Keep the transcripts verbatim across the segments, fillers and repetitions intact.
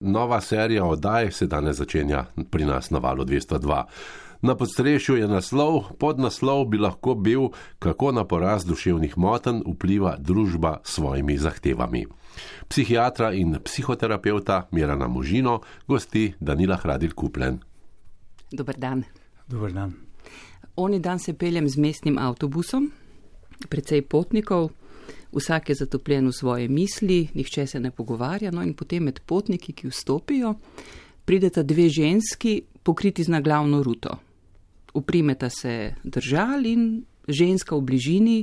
Nova serija oddaj se danes začenja pri nas na Valu dvesto dva. Na podstrešju je naslov, podnaslov bi lahko bil, kako na porast duševnih motenj vpliva družba s svojimi zahtevami. Psihiatra in psihoterapeuta Mirana Možino gosti Danila Hradil-Kupljen. Dober dan. Dober dan. Oni dan se peljem z mestnim avtobusom, precej potnikov, vsak je zatopljen v svoje misli, nihče se ne pogovarja, no in potem med potniki, ki vstopijo, prideta dve ženski, pokriti z naglavno ruto. Uprimeta se držal in ženska v bližini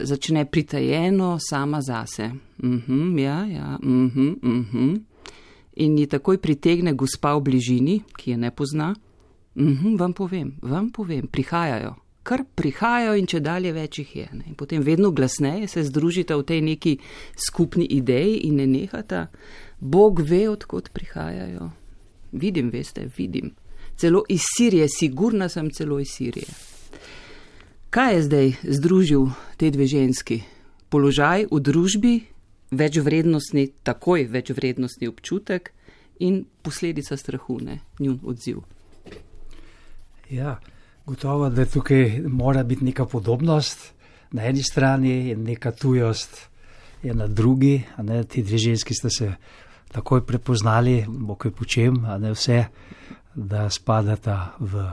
začne pritajeno sama zase. Mhm, ja, ja, mhm, mhm. In ji takoj pritegne gospa v bližini, ki je ne pozna. Mhm, vam povem, vam povem, prihajajo. Kar prihajajo in če dalje več jih je. Ne? In potem vedno glasneje se združita v tej neki skupni ideji in ne nehata. Bog ve, odkot prihajajo. Vidim, veste, vidim. Celo iz Sirije, sigurna sem celo iz Sirije. Kaj je zdaj združil te dve ženski? Položaj v družbi, večvrednostni, takoj večvrednostni občutek in posledica strahu, ne, njun odziv. Ja, gotovo, da tukaj mora biti neka podobnost na eni strani in neka tujost je na drugi. A ne, ti dve ženski sta se takoj prepoznali, bo kaj počem, a ne vse, da spadata v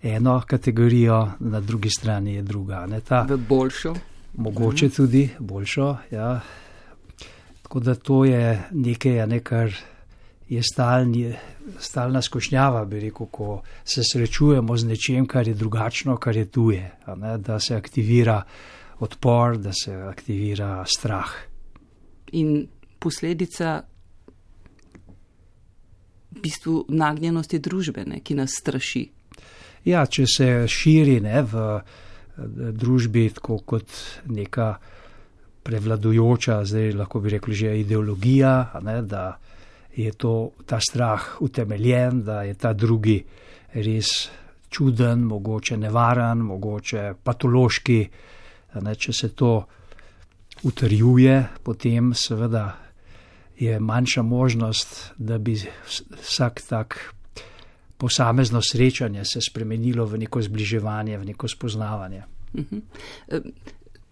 eno kategorijo, na drugi strani je druga. Ne, ta, v boljšo. Mogoče mhm. tudi boljšo, ja. Tako da to je nekaj, a ne, kar je stalni, stalna skušnjava, bi rekel, ko se srečujemo z nečem, kar je drugačno, kar je tuje, a ne, da se aktivira odpor, da se aktivira strah. In posledica v bistvu nagnjenosti družbe, ne, ki nas straši. Ja, če se širi, ne, v družbi tako kot neka prevladujoča, zdaj lahko bi rekli že ideologija, a ne, da je to, ta strah utemeljen, da je ta drugi res čuden, mogoče nevaren, mogoče patološki. A ne, če se to utrjuje, potem seveda je manjša možnost, da bi vsak tak posamezno srečanje se spremenilo v neko zbliževanje, v neko spoznavanje.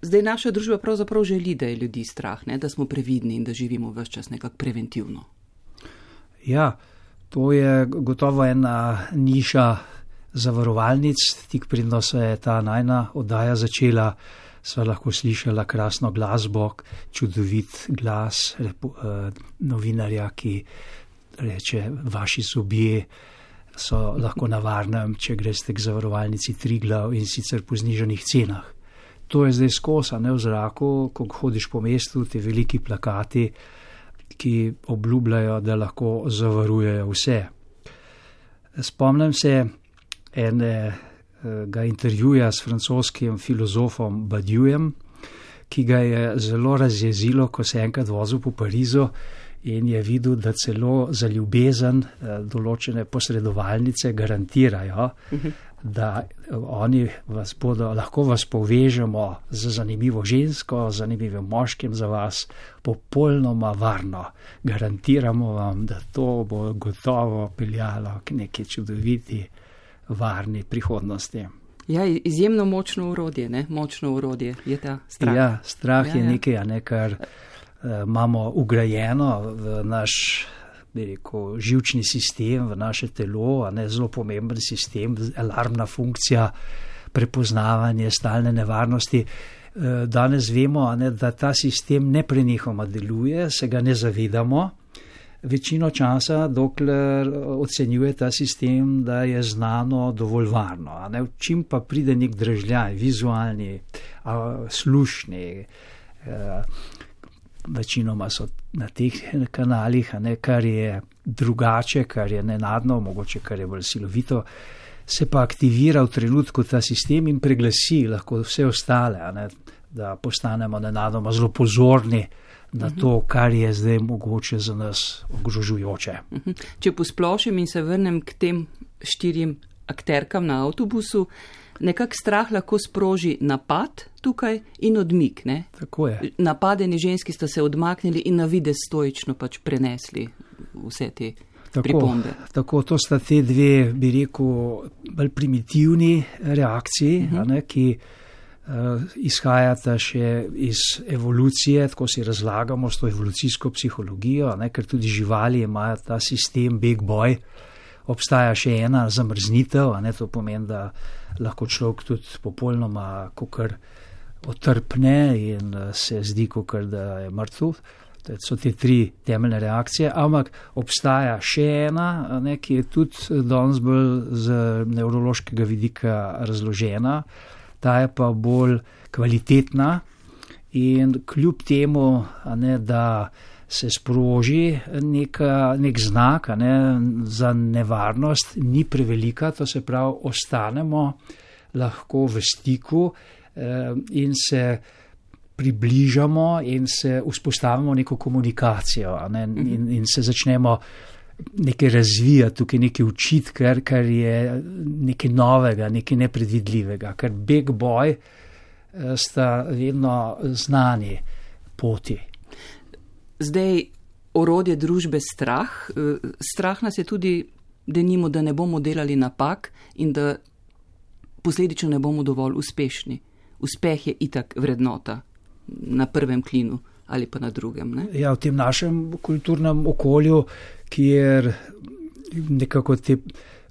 Zdaj naša družba pravzaprav želi, da je ljudi strah, ne? Da smo previdni in da živimo ves čas nekako preventivno. Ja, to je gotovo ena niša zavarovalnic. Tik predno se je ta najna oddaja začela, sva lahko slišala krasno glasbo, čudovit glas repo, eh, novinarja, ki reče, vaši zobje so lahko na varnem, če greste k zavarovalnici Triglav in sicer po znižanih cenah. To je zdaj skozi, ne, v zraku, ko hodiš po mestu, te veliki plakati, ki obljubljajo, da lahko zavarujejo vse. Spomnim se enega intervjuja s francoskim filozofom Badioujem, ki ga je zelo razjezilo, ko se enkrat vozil po Parizu in je videl, da celo za ljubezen določene posredovalnice garantirajo, uh-huh. da oni vas bodo, lahko vas povežemo z zanimivo žensko, z zanimivim moškim za vas, popolnoma varno. Garantiramo vam, da to bo gotovo peljalo k neki čudoviti, varni prihodnosti. Ja, izjemno močno urodje, ne? Močno urodje je ta strah. Ja, strah ja, je ja. nekaj, ne, kar uh, imamo ugrajeno v naš, bi rekel, živčni sistem, v naše telo, a ne, zelo pomemben sistem, alarmna funkcija, prepoznavanje, stalne nevarnosti. Danes vemo, a ne, da ta sistem neprenehoma deluje, se ga ne zavedamo. Večino časa, dokler ocenjuje ta sistem, da je znano dovolj varno. A ne, čim pa pride nek dražljaj, vizualni, a, slušni, a, večinoma so na teh kanalih, a ne, kar je drugače, kar je nenadno, mogoče kar je bolj silovito, se pa aktivira v trenutku ta sistem in preglasi lahko vse ostale, a ne, da postanemo nenadoma zelo pozorni na to, kar je zdaj mogoče za nas ogrožujoče. Če posplošim in se vrnem k tem štirim akterkam na avtobusu, nekak strah lahko sproži napad tukaj in odmik, ne? Tako je. Napadeni ženski sta se odmaknili in na videz stoično pač prenesli vse te tako, pripombe. Tako, to sta te dve, bi rekel, bolj primitivni reakciji, uh-huh. a ne, ki uh, izhajata še iz evolucije, tako si razlagamo s to evolucijsko psihologijo, a ne, ker tudi živali imajo ta sistem big boy. Obstaja še ena zamrznitev, a ne, to pomeni, da lahko človek tudi popolnoma kakor otrpne in se zdi, kakor da je mrtev. To so te tri temeljne reakcije, ampak obstaja še ena, a ne, ki je tudi danes bolj z nevrološkega vidika razložena, ta je pa bolj kvalitetna in kljub temu, a ne, da se sproži neka, nek znak, a ne, za nevarnost, ni prevelika, to se pravi, ostanemo lahko v stiku eh, in se približamo in se vzpostavimo neko komunikacijo, a ne, in, in se začnemo nekaj razvijati, tukaj nekaj učiti, kar, kar je nekaj novega, nekaj nepredvidljivega, ker big boy eh, sta vedno znani poti. Zdaj, orodje družbe strah. Strah nas je tudi, denimo, da ne bomo delali napak in da posledično ne bomo dovolj uspešni. Uspeh je itak vrednota na prvem klinu ali pa na drugem. Ne? Ja, v tem našem kulturnem okolju, kjer nekako te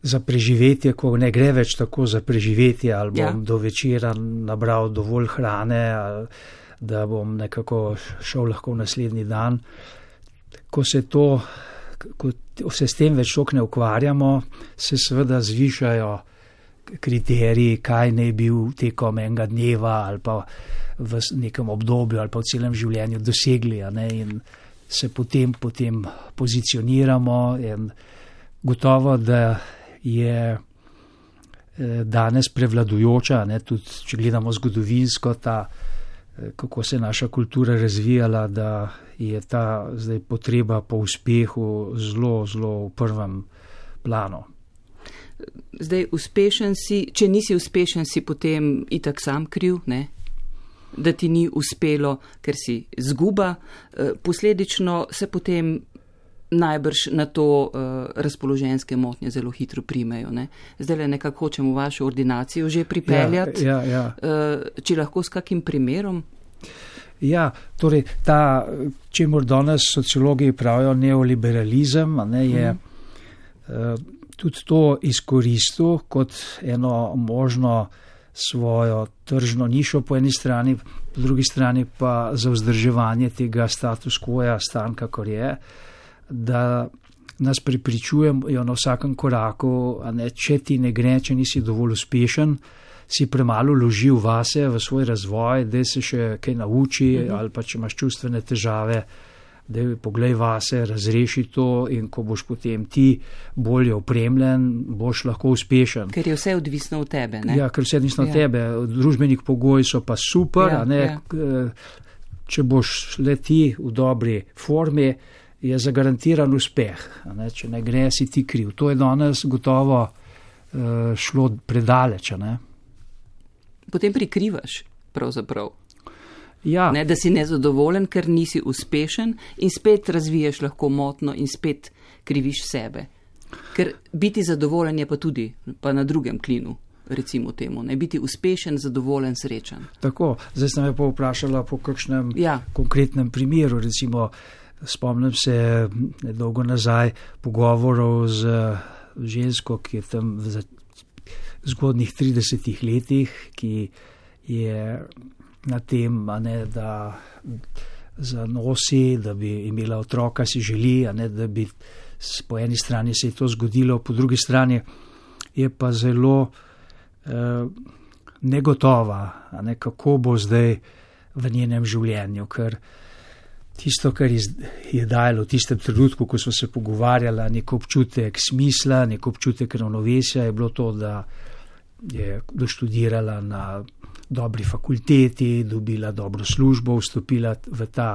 za preživetje, ko ne gre več tako za preživetje, ali bom ja. do večera nabral dovolj hrane, ali da bom nekako šel lahko v naslednji dan. Ko se to, ko se s tem več ne ukvarjamo, se seveda zvišajo kriteriji, kaj naj bi tekom enega dneva ali pa v nekem obdobju ali pa v celem življenju dosegli, a ne, in se potem, potem pozicioniramo in gotovo, da je danes prevladujoča, ne, tudi če gledamo zgodovinsko, ta kako se je naša kultura razvijala, da je ta zdaj potreba po uspehu zelo, zelo v prvem planu. Zdaj, uspešen si, če nisi uspešen, si potem itak sam kriv, ne? Da ti ni uspelo, ker si zguba. Posledično se potem najbrž na to uh, razpoloženjske motnje zelo hitro primejo. Ne? Zdaj le nekako hočem v vašo ordinacijo že pripeljati, ja, ja, ja. Uh, če lahko s kakim primerom? Ja, torej ta, čemur danes sociologi pravijo neoliberalizem, a ne, je uh-huh. uh, tudi to izkoristil kot eno možno svojo tržno nišo po eni strani, po drugi strani pa za vzdrževanje tega status quoja, stan kakor je, da nas prepričujejo na vsakem koraku, a ne, če ti ne gre, če nisi dovolj uspešen, si premalo vložil vase, v svoj razvoj, da se še kaj nauči, mm-hmm. ali pa če imaš čustvene težave, da poglej vase, razreši to in ko boš potem ti bolje opremljen, boš lahko uspešen. Ker je vse odvisno od tebe, ne? Ja, ker vse odvisno od ja. tebe. Družbenih pogoji so pa super, ja, a ne, ja. če boš le ti v dobri formi, je zagarantiran uspeh. A ne, če ne gre, si ti kriv. To je danes gotovo uh, šlo predaleč, a ne? Potem prikrivaš, pravzaprav. Ja. Ne, da si nezadovoljen, ker nisi uspešen in spet razviješ lahko motno in spet kriviš sebe. Ker biti zadovoljen je pa tudi pa na drugem klinu, recimo temu. Ne, biti uspešen, zadovoljen, srečen. Tako, zdaj sem me pa vprašala po kakšnem ja. konkretnem primeru, recimo spomnim se nedolgo nazaj pogovorov z žensko, ki je tam v zgodnih tridesetih letih, ki je na tem, a ne, da zanosi, da bi imela otroka, si želi, a ne, da bi po eni strani se je to zgodilo, po drugi strani je pa zelo eh, negotova, a ne, kako bo zdaj v njenem življenju, ker tisto, kar je dajalo v tistem trenutku, ko smo se pogovarjali, nek občutek smisla, nek občutek ravnovesja, je bilo to, da je doštudirala na dobri fakulteti, dobila dobro službo, vstopila v ta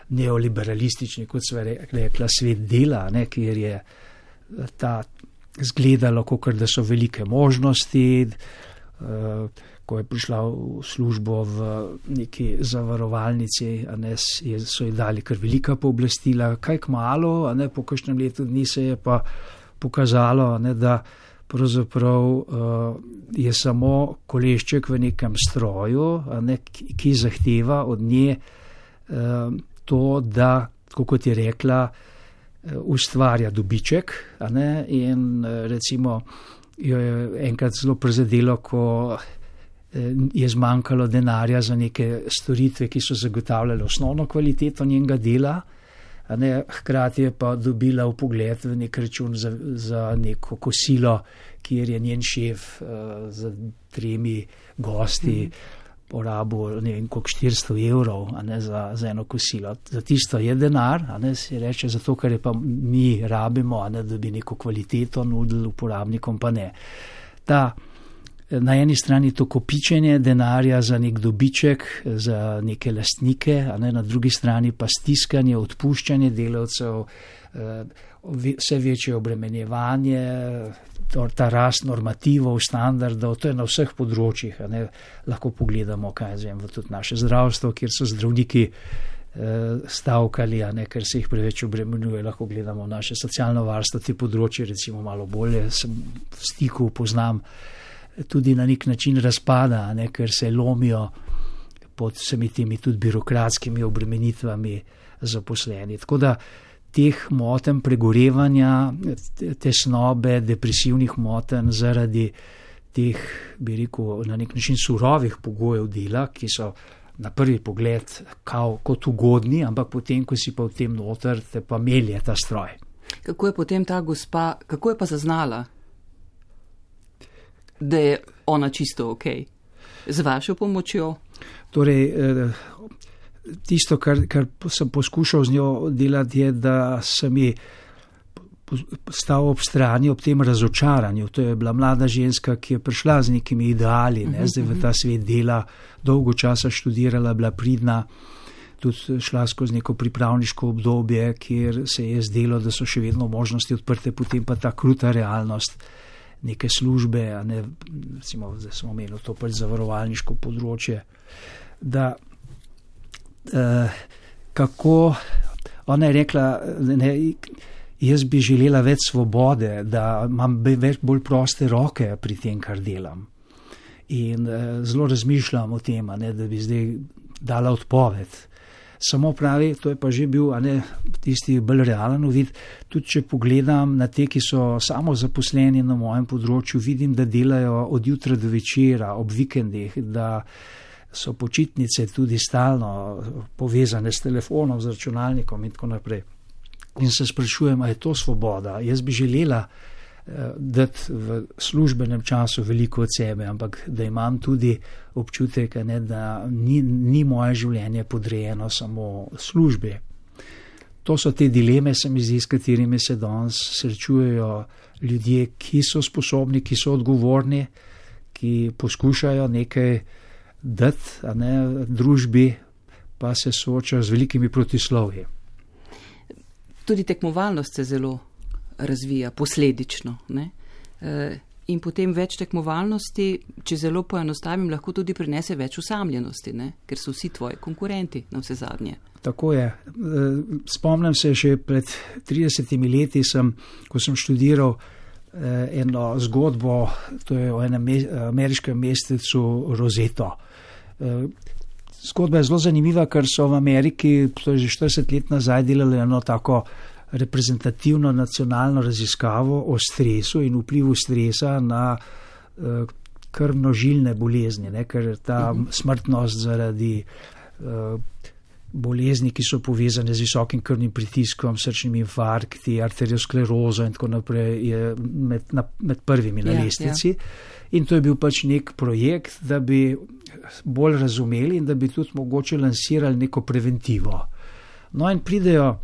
neoliberalistični, kot sva rekla, svet dela, ne, kjer je ta zgledalo, kakor da so velike možnosti, ko je prišla v službo v neki zavarovalnici, a ne, so ji dali kar velika pooblastila, kaj kmalu, a ne, po kakšnem letu dni se je pa pokazalo, a ne, da pravzaprav uh, je samo kolešček v nekem stroju, a ne, ki, ki zahteva od nje uh, to, da, kot je rekla, uh, ustvarja dobiček, a ne, in uh, recimo jo je enkrat zelo prizadelo, ko je zmanjkalo denarja za neke storitve, ki so zagotavljale osnovno kvaliteto njenega dela, a ne, hkrati je pa dobila vpogled v nek račun za, za neko kosilo, kjer je njen šef uh, za tremi gosti porabil ne vem koliko štiristo evrov, a ne, za, za eno kosilo. Za tisto je denar, a ne, se reče, zato ker je pa mi rabimo, a ne, da bi neko kvaliteto nudili uporabnikom, pa ne. Ta na eni strani to kopičenje denarja za nek dobiček, za neke lastnike, a ne, na drugi strani pa stiskanje, odpuščanje delavcev, vse večje obremenjevanje, ta rast normativov, standardov, to je na vseh področjih, a ne, lahko pogledamo, kaj zvem, v tudi naše zdravstvo, kjer so zdravniki stavkali, a ne, ker se jih preveč obremenjuje, lahko gledamo naše socialno varstvo, te področje recimo malo bolje, sem v stiku, poznam, tudi na nek način razpada, ne, ker se lomijo pod vsemi temi tudi birokratskimi obremenitvami zaposleni. Tako da teh motenj pregorevanja, tesnobe, depresivnih motenj zaradi teh, bi rekel, na nek način surovih pogojev dela, ki so na prvi pogled kao, kot ugodni, ampak potem, ko si pa v tem noter, te pa melje ta stroj. Kako je potem ta gospa, kako je pa zaznala, da je ona čisto ok, z vašo pomočjo? Torej, tisto, kar, kar sem poskušal z njo delati, je, da sem ji stal ob strani ob tem razočaranju. To je bila mlada ženska, ki je prišla z nekimi ideali, ne, zdaj v ta svet dela, dolgo časa študirala, bila pridna, tudi šla skozi neko pripravniško obdobje, kjer se je zdelo, da so še vedno možnosti odprte, potem pa ta kruta realnost neke službe, a ne, recimo, zdaj smo imeli to pač zavarovalniško področje, da eh, kako, ona je rekla, ne, jaz bi želela več svobode, da imam več bolj proste roke pri tem, kar delam. In eh, zelo razmišljam o tem, a ne, da bi zdaj dala odpoved. Samo pravi, to je pa že bil, a ne, tisti bolj realen uvid, tudi če pogledam na te, ki so samo zaposleni na mojem področju, vidim, da delajo od jutra do večera, ob vikendih, da so počitnice tudi stalno povezane s telefonom, z računalnikom in tako naprej. In se sprašujem, a je to svoboda? Jaz bi želela dati v službenem času veliko od sebe, ampak da imam tudi občutek, ne, da ni, ni moje življenje podrejeno samo službi. To so te dileme, se mi zdi, s katerimi se danes srečujejo ljudje, ki so sposobni, ki so odgovorni, ki poskušajo nekaj dati, a ne, družbi, pa se soočajo z velikimi protislovji. Tudi tekmovalnost se zelo razvija posledično, ne? E, in potem več tekmovalnosti, če zelo poenostavim, lahko tudi prinese več osamljenosti, ne? Ker so vsi tvoji konkurenti na vse zadnje. Tako je. Spomnim se, že pred tridesetimi leti sem, ko sem študiral eno zgodbo, to je o enem ameriškem mestecu Roseto. Zgodba je zelo zanimiva, ker so v Ameriki, to je že štirideset let nazaj, delali eno tako reprezentativno nacionalno raziskavo o stresu in vplivu stresa na uh, krvnožilne bolezni, ne? Ker ta uh-huh. smrtnost zaradi uh, bolezni, ki so povezane z visokim krvnim pritiskom, srčnimi infarkti, arteriosklerozo in tako naprej, je med, na, med prvimi na yeah, lestvici. Yeah. In to je bil pač nek projekt, da bi bolj razumeli in da bi tudi mogoče lansirali neko preventivo. No in pridejo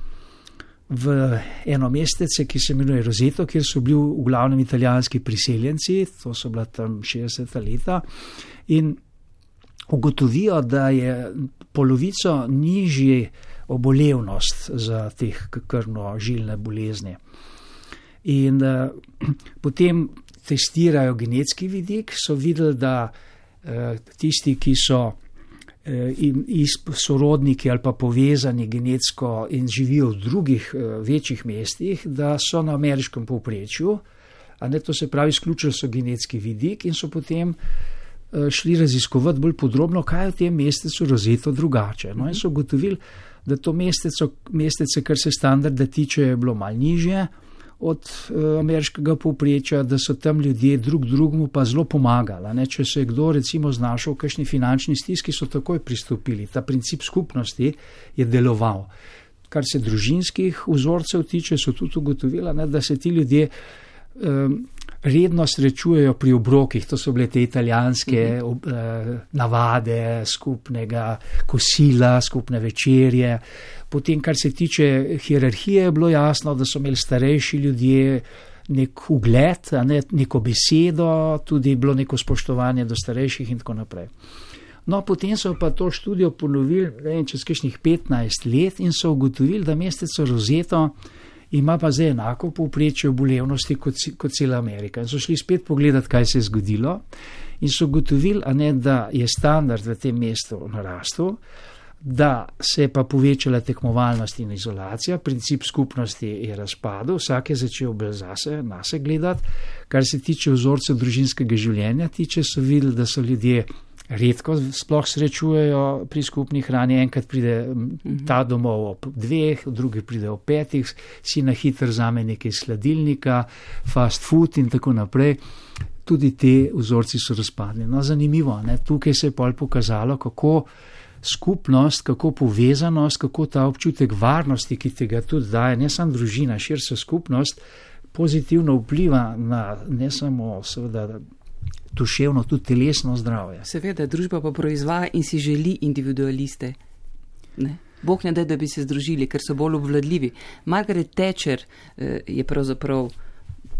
v eno mestece, ki se imenuje Roseto, kjer so bili v glavnem italijanski priseljenci, to so bila tam šestdeseta leta, in ugotovijo, da je polovico nižje obolevnost za teh krvnožilne bolezni. In uh, potem testirajo genetski vidik, so videli, da uh, tisti, ki so in sorodniki ali pa povezani genetsko in živijo v drugih večjih mestih, da so na ameriškem povprečju, a ne, to se pravi, izključili so genetski vidik in so potem šli raziskovati bolj podrobno, kaj je v tem mestecu Roseto drugače. No, in so ugotovili, da to mesteco, mestece, kar se standarda tiče, je bilo malo nižje od uh, ameriškega povprečja, da so tam ljudje drug drugemu pa zelo pomagali. Ne? Če se je kdo recimo znašel v kakšni finančni stiski, so takoj pristopili. Ta princip skupnosti je deloval. Kar se družinskih vzorcev tiče, so tudi ugotovili, ne, da se ti ljudje um, redno srečujejo pri obrokih. To so bile te italijanske mm-hmm. uh, navade skupnega kosila, skupne večerje. Potem, kar se tiče hierarhije, je bilo jasno, da so imeli starejši ljudje nek ugled, a ne, neko besedo, tudi bilo neko spoštovanje do starejših in tako naprej. No, potem so pa to študijo ponovili, ne vem, čez kakšnih petnajst let in so ugotovili, da mesteco Roseto ima pa zdaj enako povprečje obolevnosti kot, kot cela Amerika. In so šli spet pogledati, kaj se je zgodilo in so ugotovili, a ne, da je standard v tem mestu narastel, da se je pa povečala tekmovalnost in izolacija, princip skupnosti je razpadel, vsak je začel bolj zase, nase gledati. Kar se tiče vzorcev družinskega življenja, tiče so videli, da so ljudje redko sploh srečujejo pri skupni hrani, enkrat pride ta domov ob dveh, drugi pride ob petih, si na hitro vzame nekaj iz hladilnika, fast food in tako naprej. Tudi te vzorci so razpadli. No, zanimivo, ne? Tukaj se je pol pokazalo, kako skupnost, kako povezanost, kako ta občutek varnosti, ki tega tudi daje, ne samo družina, širša skupnost, pozitivno vpliva na ne samo seveda duševno, tudi telesno zdravje. Seveda, družba pa proizvaja in si želi individualiste. Ne? Bog ne da, da bi se združili, ker so bolj obvladljivi. Margaret Thatcher eh, je pravzaprav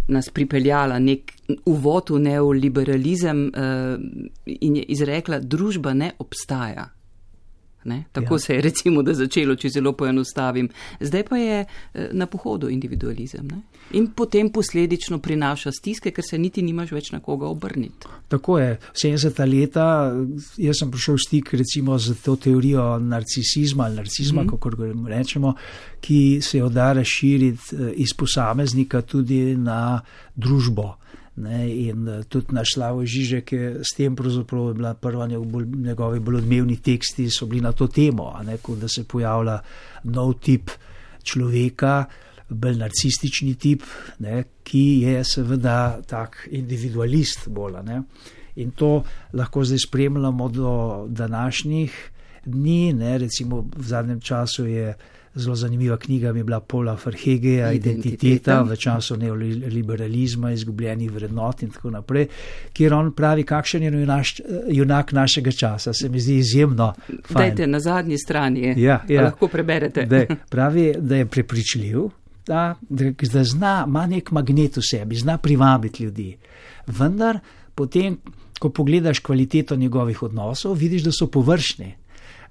nas pripeljala nek uvod v neoliberalizem eh, in je izrekla, družba ne obstaja. Ne? Tako ja. Se je recimo da začelo, če zelo poenostavim. Zdaj pa je na pohodu individualizem. Ne? In potem posledično prinaša stiske, ker se niti nimaš več na koga obrniti. Tako je. sedemdeseta leta, jaz sem prišel v stik recimo z to teorijo narcisizma ali narcizma, mm-hmm. kako rečemo, ki se jo da razširiti iz posameznika tudi na družbo. Ne, in tudi naš Slavoj Žižek je s tem pravzaprav bila prva njegovi bolj odmevni teksti so bili na to temo, ne, da se pojavlja nov tip človeka, bolj narcistični tip, ne, ki je seveda tak individualist bolj. Ne. In to lahko zdaj spremljamo do današnjih dni, ne, recimo v zadnjem času je zelo zanimiva knjiga mi je bila Paula Verhegeja, Identiteta, Identiteta v času neoliberalizma, izgubljenih vrednot in tako naprej, kjer on pravi, kakšen je naš, junak našega časa. Se mi zdi izjemno fajn. Dajte, na zadnji strani je, ja, ja. lahko preberete. Dej, pravi, da je prepričljiv, da, da zna, ima nek magnet v sebi, zna privabiti ljudi. Vendar potem, ko pogledaš kvaliteto njegovih odnosov, vidiš, da so površni.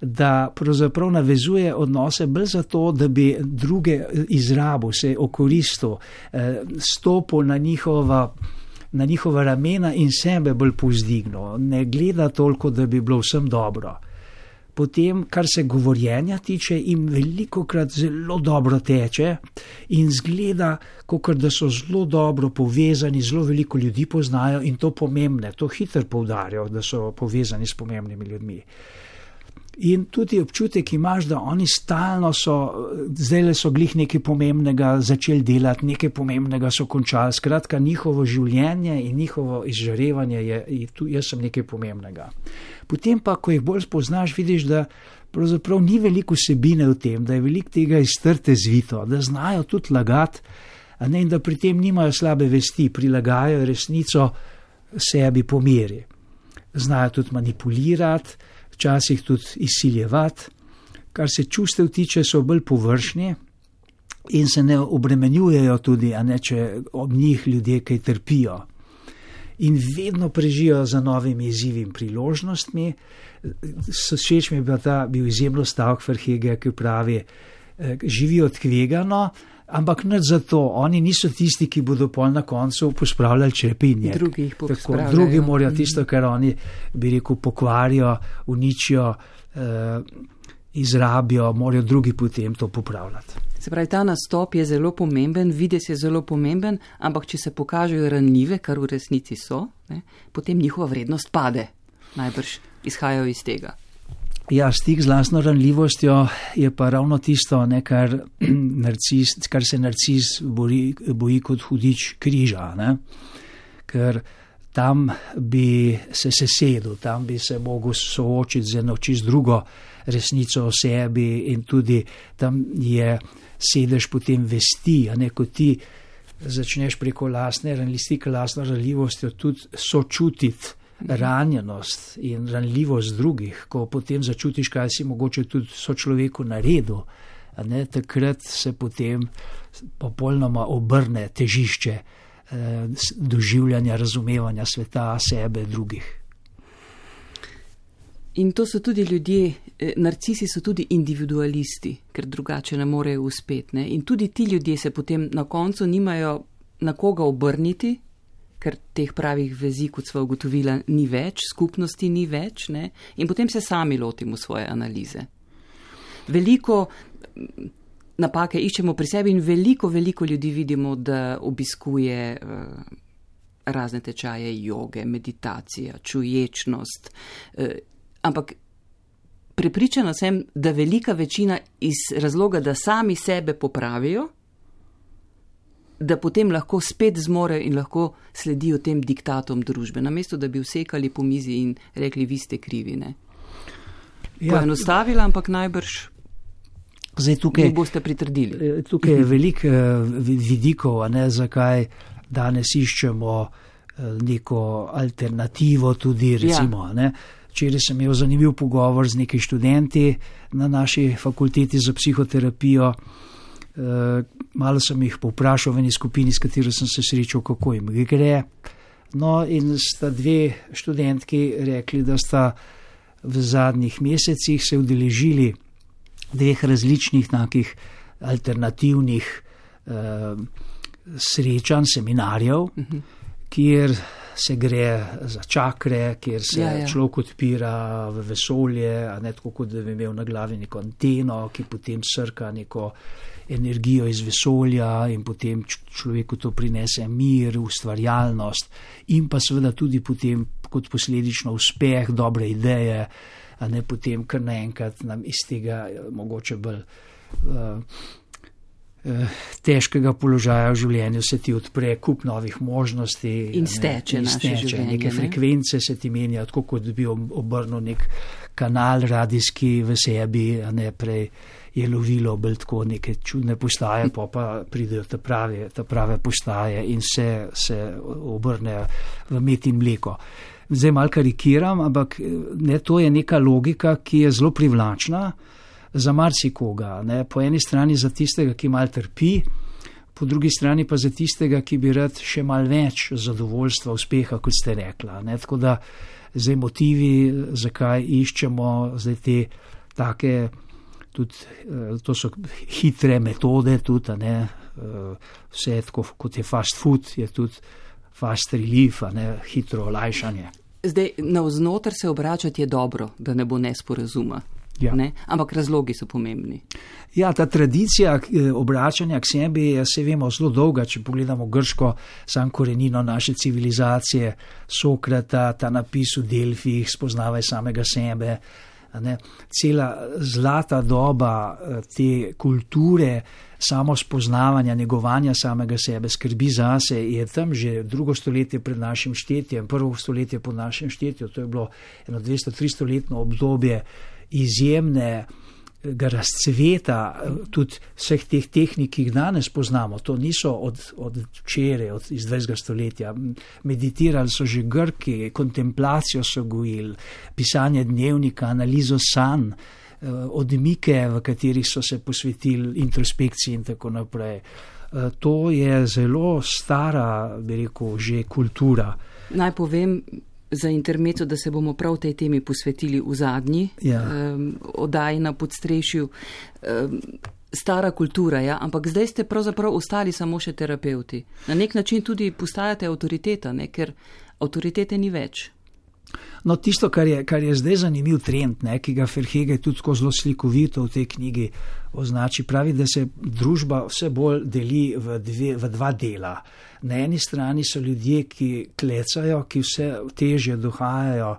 Da pravzaprav navezuje odnose bolj zato, da bi druge izrabil, se okoristil, stopil na njihova, na njihova ramena in sebe bolj povzdignil. Ne gleda toliko, da bi bilo vsem dobro. Potem, kar se govorjenja tiče, jim velikokrat zelo dobro teče in zgleda, kakor da so zelo dobro povezani, zelo veliko ljudi poznajo in to pomembne, to hitro poudarjajo, da so povezani s pomembnimi ljudmi. In tudi občutek imaš, da oni stalno so, zdaj so glih nekaj pomembnega začeli delati, nekaj pomembnega so končali. Skratka, njihovo življenje in njihovo izžarevanje je, tu jaz sem nekaj pomembnega. Potem pa, ko jih bolj spoznaš, vidiš, da pravzaprav ni veliko vsebine v tem, da je veliko tega iz trte zvito, da znajo tudi lagati, a ne, in da pri tem nimajo slabe vesti, prilagajajo resnico sebi po meri. Znajo tudi manipulirati, včasih tudi izsiljevati, kar se čustev tiče, so bolj površni in se ne obremenjujejo tudi, a ne, če ob njih ljudje kaj trpijo. In vedno prežijo za novimi izzivi in priložnostmi. Všeč mi je bil ta bil izjemno stavek Verhegeja, ki pravi, živijo tvegano, Ampak ne zato, oni niso tisti, ki bodo pol na koncu pospravljali črepinje. Drugi jih pospravljajo. Drugi morajo tisto, kar oni, bi rekel, pokvarijo, uničijo, eh, izrabijo, morajo drugi potem to popravljati. Se pravi, ta nastop je zelo pomemben, videz je zelo pomemben, ampak če se pokažejo ranljive, kar v resnici so, ne, potem njihova vrednost pade. Najbrž izhajajo iz tega. Ja, stik z lastno ranljivostjo je pa ravno tisto, ne, kar, narcis, kar se narcis boji, boji kot hudič križa. Ne? Ker tam bi se sesedel, tam bi se mogel soočiti z eno čist drugo resnico o sebi in tudi tam je sedež potem vesti, a ne, ko ti začneš preko lastne ranljivosti, lastno ranljivostjo tudi sočutiti ranjenost in ranljivost drugih, ko potem začutiš, kaj si mogoče tudi sočloveku naredil, a ne, takrat se potem popolnoma obrne težišče eh, doživljanja, razumevanja sveta, sebe, drugih. In to so tudi ljudje, narcisi so tudi individualisti, ker drugače ne morejo uspeti. Ne? In tudi ti ljudje se potem na koncu nimajo na koga obrniti, ker teh pravih vezi, kot sva ugotovila, ni več, skupnosti ni več, ne? In potem se sami lotimo svoje analize. Veliko napake iščemo pri sebi in veliko, veliko ljudi vidimo, da obiskuje uh, razne tečaje joge, meditacija, čuječnost, uh, ampak prepričana sem, da velika večina iz razloga, da sami sebe popravijo, da potem lahko spet zmorejo in lahko sledijo tem diktatom družbe, namesto da bi vsekali po mizi in rekli, vi ste krivi. Ne? Ja. Poenostavila, ampak najbrž zdaj tukaj, ne boste pritrdili. Tukaj je veliko vidikov, a ne, zakaj danes iščemo neko alternativo tudi, recimo, ja. Ne. Včeraj sem imel zanimiv pogovor z nekaj študenti na naši fakulteti za psihoterapijo. Uh, malo sem jih povprašal v eni skupini, s katero sem se srečal, kako jim gre. No, in sta dve študentki rekli, da sta v zadnjih mesecih se udeležili dveh različnih takih alternativnih uh, srečanj, seminarjev, uh-huh. kjer se gre za čakre, kjer se ja, ja. človek odpira v vesolje, a ne tako, kot da bi imel na glavi neko anteno, ki potem srka neko energijo iz vesolja in potem človeku to prinese mir, ustvarjalnost in pa seveda tudi potem kot posledično uspeh, dobre ideje, a ne potem kar naenkrat nam iz tega mogoče bolj uh, težkega položaja v življenju se ti odpre kup novih možnosti in steče, in naše steče življenje. Neke ne? frekvence se ti menja, tako kot bi obrnil nek kanal radijski v sebi, a ne prej je lovilo bolj tako neke čudne postaje, pa pa pridejo ta prave, ta prave postaje in se, se obrnejo v med in mleko. Zdaj malo karikiram, ampak ne, to je neka logika, ki je zelo privlačna za marsikoga, ne, po eni strani za tistega, ki malo trpi, po drugi strani pa za tistega, ki bi rad še malo več zadovoljstva, uspeha, kot ste rekla. Ne, tako da zdaj motivi, zakaj iščemo zdaj te take, tudi, to so hitre metode, tudi, ne, vse tako, kot je fast food, je tudi fast relief, ne, hitro olajšanje. Zdaj, navznoter se obračati je dobro, da ne bo nesporazuma. Ja. Ne? Ampak razlogi so pomembni. Ja, ta tradicija obračanja k sebi je, se vemo, zelo dolga, če pogledamo grško sam korenino naše civilizacije, Sokrata, ta napis v Delfih, spoznavaj samega sebe. Ne? Cela zlata doba te kulture samo spoznavanja, negovanja samega sebe, skrbi zase, je tam že drugo stoletje pred našim štetjem, prvo stoletje po našem štetju, to je bilo eno dvesto tristo letno obdobje izjemnega razcveta tudi vseh teh tehnik, ki jih danes poznamo. To niso od, od včeraj, od iz dvajsetega stoletja. Meditirali so že Grki, kontemplacijo so gojili, pisanje dnevnika, analizo sanj, odmike, v katerih so se posvetili introspekciji in tako naprej. To je zelo stara, bi rekel, že kultura. Naj povem, za intermezzo, da se bomo prav tej temi posvetili v zadnji ja. um, oddaji na Podstrešju. Um, stara kultura, ja, ampak zdaj ste pravzaprav ostali samo še terapeuti. Na nek način tudi postajate avtoriteta, ne, ker avtoritete ni več. No, tisto, kar je, kar je zdaj zanimiv trend, ne, ki ga Verhege tudi tako zelo slikovito v tej knjigi označi, pravi, da se družba vse bolj deli v, dve, v dva dela. Na eni strani so ljudje, ki klecajo, ki vse težje dohajajo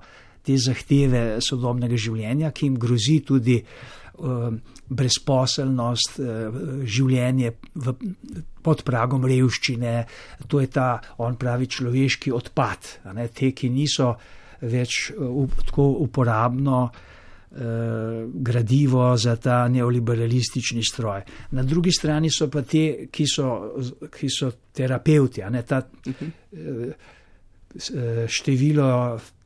te zahteve sodobnega življenja, ki jim grozi tudi uh, brezposelnost, uh, življenje v, pod pragom revščine. To je ta, on pravi, človeški odpad. A ne, te, ki niso več uh, tako uporabno uh, gradivo za ta neoliberalistični stroj. Na drugi strani so pa te, ki so, ki so terapeuti. A ne, ta, uh, število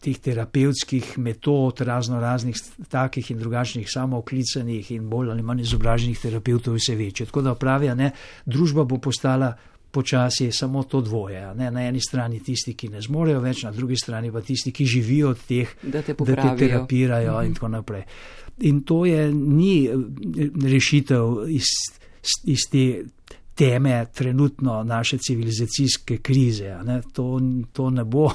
teh terapevtskih metod, razno raznih takih in drugačnih samooklicanih in bolj ali manj izobraženih terapeutov vse večje. Tako da pravi, ne, družba bo postala počasi samo to dvoje. Ne? Na eni strani tisti, ki ne zmorejo več, na drugi strani pa tisti, ki živijo od teh, da te, da te terapirajo mm-hmm. in tako naprej. In to je, ni rešitev iz, iz te teme trenutno naše civilizacijske krize. Ne? To, to ne bo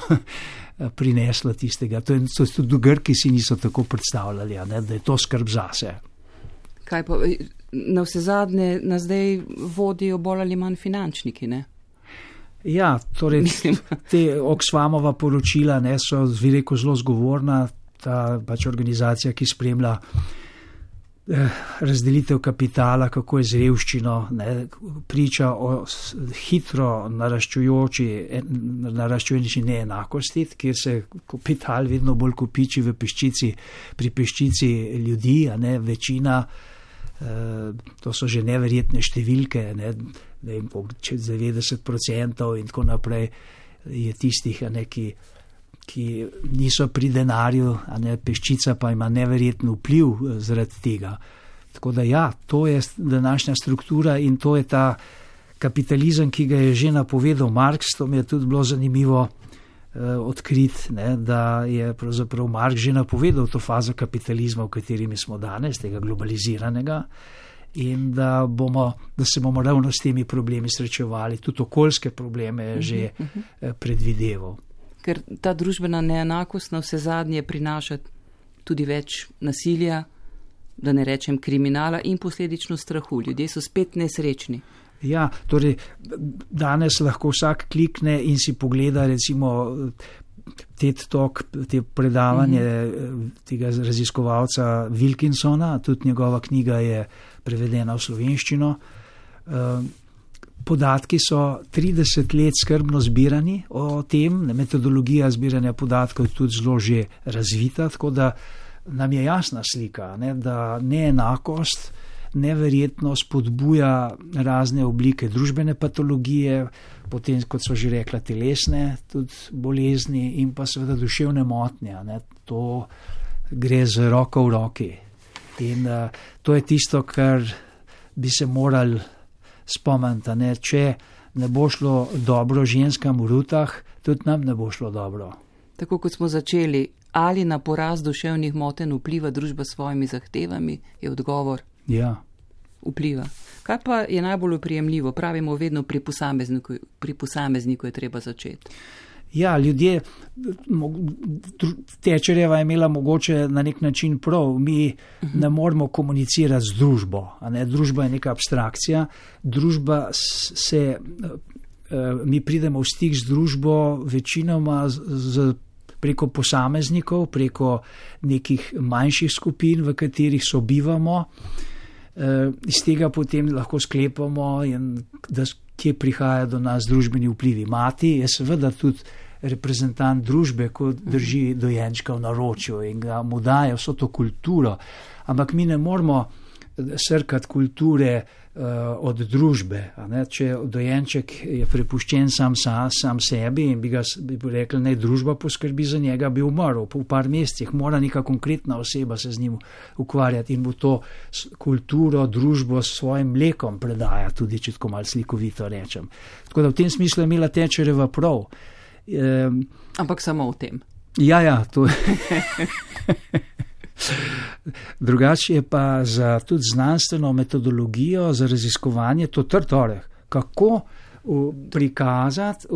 prineslo tistega. To je, to tudi Grki si niso tako predstavljali, ne? Da je to skrb zase. Kaj pa, na vse zadnje nas zdaj vodijo bolj ali manj finančniki, ne? Ja, torej te Oxfamova poročila, ne, so veliko zelo zgovorna, ta pač organizacija, ki spremlja eh, razdelitev kapitala, kako je z revščino, ne, priča o hitro naraščujoči, naraščujoči neenakosti, kjer se kapital vedno bolj kopiči v peščici, pri peščici ljudi, a ne, večina. Uh, to so že neverjetne številke, ne, ne vem, čez devetdeset procentov in tako naprej je tistih, a ne, ki, ki niso pri denarju, a ne, peščica pa ima neverjeten vpliv zaradi tega. Tako da ja, to je današnja struktura in to je ta kapitalizem, ki ga je že napovedal Marx. To mi je tudi bilo zanimivo odkrit, ne, da je pravzaprav Marx že napovedal to fazo kapitalizma, v katerimi smo danes, tega globaliziranega, in da, bomo, da se bomo ravno s temi problemi srečevali, tudi okoljske probleme je že uh -huh, uh -huh. predvideval. Ker ta družbena neenakost na vse zadnje prinaša tudi več nasilja, da ne rečem kriminala in posledično strahu. Ljudje so spet nesrečni. Ja, torej danes lahko vsak klikne in si pogleda recimo TED Talk, te predavanje mm-hmm. tega raziskovalca Wilkinsona, tudi njegova knjiga je prevedena v slovenščino. Podatki so trideset let skrbno zbirani o tem, metodologija zbiranja podatkov je tudi zelo že razvita, tako da nam je jasna slika, ne, da neenakost neverjetno spodbuja razne oblike družbene patologije, potem, kot so že rekla, telesne tudi bolezni in pa seveda duševne motnje. Ne. To gre z roko v roki. In uh, to je tisto, kar bi se morali spomniti. Ne. Če ne bo šlo dobro ženskam v rutah, tudi nam ne bo šlo dobro. Tako kot smo začeli, ali na porast duševnih motenj vpliva družba s svojimi zahtevami, je odgovor. Ja. Vpliva. Kaj pa je najbolj oprijemljivo? Pravimo vedno pri posamezniku, pri posamezniku je treba začeti. Ja, ljudje, Thatcherjeva je imela mogoče na nek način prav, mi uh-huh. ne moramo komunicirati z družbo. A ne? Družba je neka abstrakcija, družba se, mi pridemo v stik z družbo večinoma z, z preko posameznikov, preko nekih manjših skupin, v katerih sobivamo. Iz tega potem lahko sklepamo, da kje prihaja do nas družbeni vplivi. Mati je seveda tudi reprezentant družbe, ko drži dojenčka v naročju in ga mu daje vso to kulturo. Ampak mi ne moramo srkati kulture uh, od družbe. A ne? Če dojenček je prepuščen sam, sam, sam sebi in bi ga bi rekli, naj družba poskrbi za njega, bi umrl. Po par mesecih mora neka konkretna oseba se z njim ukvarjati in mu to kulturo, družbo s svojim mlekom predaja, tudi če tako malo slikovito rečem. Tako da v tem smislu je imela Thatcherjeva prav. Um, Ampak samo v tem. Ja, ja, to je. Drugače je pa za tudi znanstveno metodologijo, za raziskovanje to trd oreh. Kako prikazati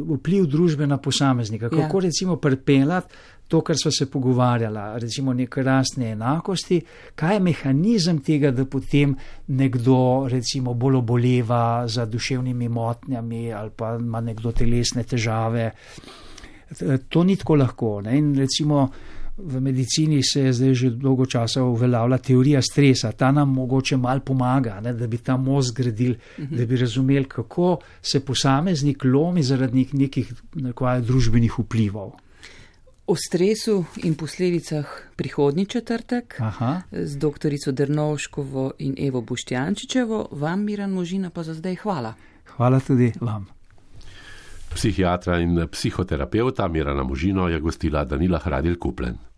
vpliv družbe na posameznika, kako ja. recimo pripeljati to, kar sva se pogovarjala, recimo neke rastne enakosti, kaj je mehanizem tega, da potem nekdo recimo bolj oboleva za duševnimi motnjami ali pa ima nekdo telesne težave. To ni tako lahko. Ne? In recimo v medicini se je zdaj že dolgo časa uveljavila teorija stresa. Ta nam mogoče malo pomaga, ne? Da bi ta mozg gradili, uh-huh. da bi razumeli, kako se posameznik lomi zaradi nekih nekaj družbenih vplivov. O stresu in posledicah prihodnji četrtek Aha. z doktorico Drnovškovo in Evo Boštjančičevo. Vam, Miran Možina, pa za zdaj hvala. Hvala tudi vam. Psihiatra in psihoterapeuta Mirana Možino je gostila Danila Hradil Kupljen.